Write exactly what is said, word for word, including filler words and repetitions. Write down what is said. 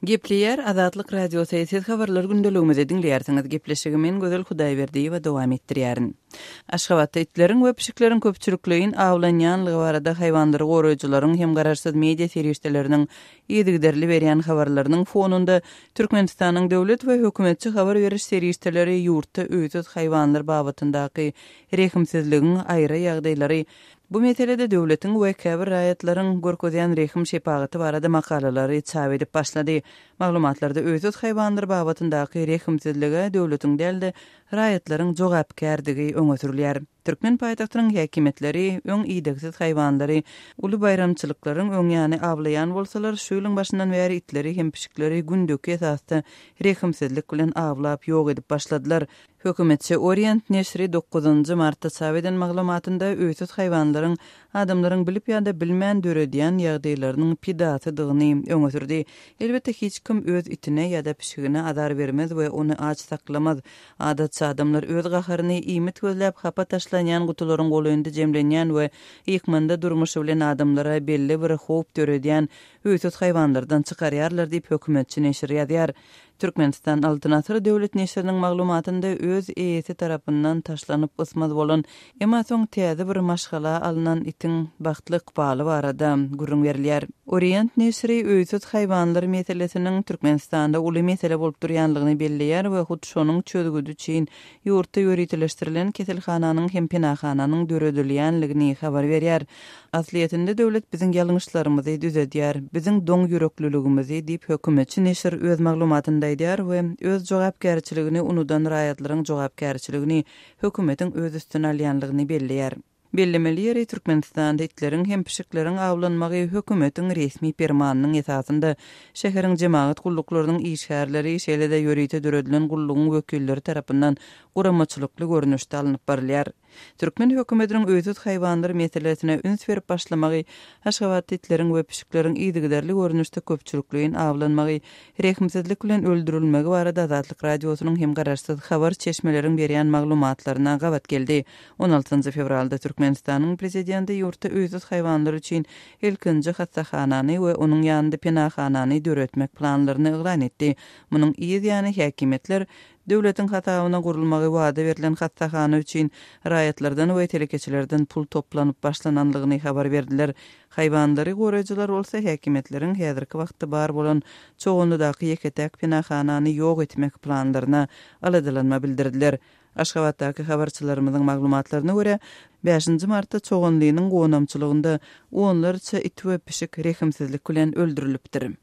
Gepleýär Azatlyk Radiosy, siz habarlar gündeligimizi diňleýärsiňiz. Gepleşigi men Gözel Hudaýberdiýewa dowam etdirýärin. Aşgabatda itleriň we pişikleriň köpçülikleýin awlanýanlygy barada haýwanlary goraýjylaryň hem garaşsyz media serişdeleriniň yzygiderli berýän habarlarynyň fonunda Türkmenistanyň döwlet we hökümetçi habar beriş serişdeleri ýurtda öýsüz haýwanlar babatyndaky rehimsizligiň aýry ýagdaýlary, bu meselede döwletiň we käbir raýatlaryň görkezýän rehim şepagaty barada makalalary çap edip başlady. Maglumatlarda öýsüz haýwanlar babatyndaky rehimsizlige döwletiň däl-de raýatlaryň jogapkärdigi öňe sürülýär. Türkmen paýtagtynyň häkimiýetleri öň idegsiz haýwanlary uly baýramçylyklaryň öň ýany awlaýan bolsalar, şu ýylyň başyndan bäri itleri hem pişikleri gündeki esasda rehimsizlik bilen awlap ýok edip başladylar. Hökümetçi Orient neşiri dokuzynjy martda çap eden maglumatynda öýsüz haýwanlaryň adamlaryň bilip ýa-da bilmän döredýän ýagdaýlarynyň pidasydygyny öňe sürdi. Elbetde hiç kim öz itine ýa-da pişigine azar bermez we ony aç saklamaz. Adatça adamlar öz gaharyny iýmit gözläp hapa taşlanýan gutularyň golaýynda jemlenýän we ýykmanda durmuşy bilen adamlara belli bir howp döredýän öýsüz haýwanlardan çykarýarlar diýip hökümetçi neşir ýazýar. Türkmenistan Altyn Asyr döwlet neşiriniň maglumatynda öz eýesi tarapyndan taşlanyp ysmaz bolan, emma soň täze bir maşgala alynan itiň bagtly ykbaly barada gürrüň berilýär. Orient neşiri öýsüz haýwanlar meselesiniň Türkmenistanda uly mesele bolup durýanlygyny belleýär we hut şonuň çözgüdi üçin ýurtda ýöriteleşdirilen keselhananyň hem penahananyň döredilýänligini habar berýär. Aslyýetinde döwlet biziň ýalňyşlarymyzy düzedýär, biziň doň ýürekliligimizi diýip hökümetçi neşir öz maglumatynda aýdýar we öz jogapkärçiligini unudan raýatlaryň jogapkärçiligini hökümetiň öz üstüne alýanlygyny belleýär. Bellemeli ýeri Türkmenistanda itleriň hem pişikleriň awlanmagy hökümetiň resmi permanynyň esasynda şäheriň jemagat gulluklarynyň işgärleri, şeýle-de ýörite döredilen gullugyň wekilleri tarapyndan guramaçylykly görnüşde alnyp barylýar. Türkmen hökümetiniň öýsüz haýwanlar meselesine üns berip başlamagy, Aşgabatda itleriň we pişikleriň yzygiderli görnüşde köpçülikleýin awlanmagy, rehimsizlik bilen öldürilmegi barada Azatlyk Radiosynyň hem garaşsyz habar çeşmeleriň berýän maglumatlaryna gabat geldi. On altynjy fewralda Türkmenistanyň prezidenti ýurtda öýsüz haýwanlar üçin ilkinji hassahanany we onuň ýanynda penahanany döretmek planlaryny yglan etdi. Munuň yz ýany häkimiýetler döwletiň hasabyna gurulmagy wada berlen hassahana üçin raýatlardan we telekeçilerden pul toplanyp başlananlygyny habar berdiler. Haýwanlary goraýjylar bolsa häkimiýetleriň häzirki wagtda bar bolan Çoganlydaky ýeke-täk penahanany ýok etmek planlaryna aladalanma bildirdiler. Aşgabatdaky habarçylarymyzyň maglumatlaryna görä, bäşinji martda Çoganlynyň gonamçylygynda onlarça it we pişik rehimsizlik bilen öldürilipdir.